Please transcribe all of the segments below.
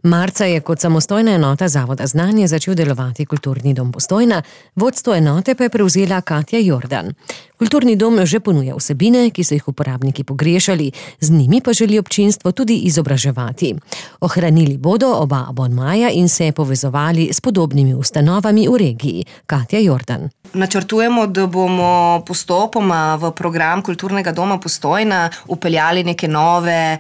Marca je kot samostojna enota Zavoda Znanje začel delovati Kulturni dom Postojna, vodstvo enote pa je prevzela Katja Jordan. Kulturni dom že ponuja vsebine, ki so jih uporabniki pogrešali, z njimi pa želi občinstvo tudi izobraževati. Ohranili bodo oba abonmaja in se povezovali s podobnimi ustanovami v regiji. Katja Jordan. Načrtujemo, da bomo postopoma v program Kulturnega doma Postojna vpeljali neke nove,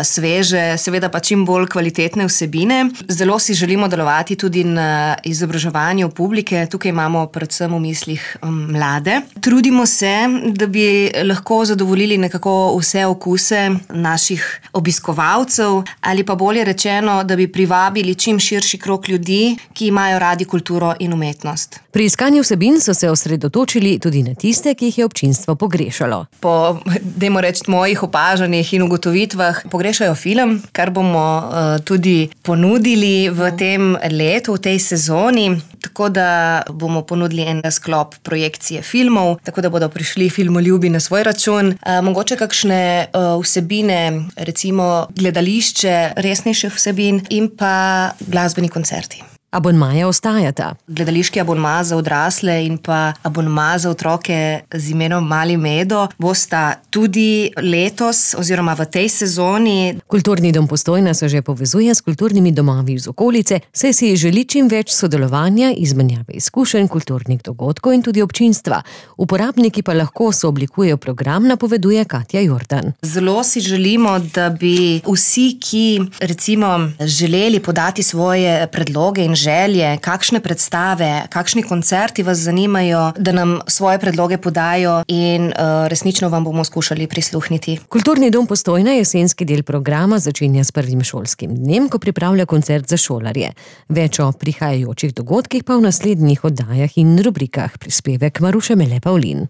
sveže, seveda pa čim bolj kvalitetne vsebine. Zelo si želimo delovati tudi na izobraževanju publike. Tukaj imamo predvsem v mislih mlade. Trudimo se, da bi lahko zadovoljili nekako vse okuse naših obiskovalcev ali pa bolje rečeno, da bi privabili čim širši krog ljudi, ki imajo radi kulturo in umetnost. Pri iskanju vsebin so se osredotočili tudi na tiste, ki jih je občinstvo pogrešalo. Po, dajmo reči, mojih opažanjih in ugotovitvah pogrešajo film, kar bomo tudi ponudili v tem letu, v tej sezoni. Tako da bomo ponudili en sklop projekcije filmov, tako da bodo prišli filmoljubi na svoj račun. Mogoče kakšne vsebine, recimo gledališče, resnejših vsebin in pa glasbeni koncerti. Abonmaja ostajata. Gledališki abonma za odrasle in pa abonma za otroke z imenom Mali Medo bosta tudi letos oziroma v tej sezoni. Kulturni dom Postojna se že povezuje s kulturnimi domovi iz okolice, saj si želi čim več sodelovanja, izmenjave izkušenj, kulturnih dogodkov in tudi občinstva. Uporabniki pa lahko sooblikujejo program, napoveduje Katja Jordan. Zelo si želimo, da bi vsi, ki recimo želeli podati svoje predloge in želje, kakšne predstave, kakšni koncerti vas zanimajo, da nam svoje predloge podajo in resnično vam bomo skušali prisluhniti. Kulturni dom Postojna jesenski del programa začenja s prvim šolskim dnem, ko pripravlja koncert za šolarje. Več o prihajajočih dogodkih pa v naslednjih oddajah in rubrikah. Prispevek Maruše Mele Pavlin.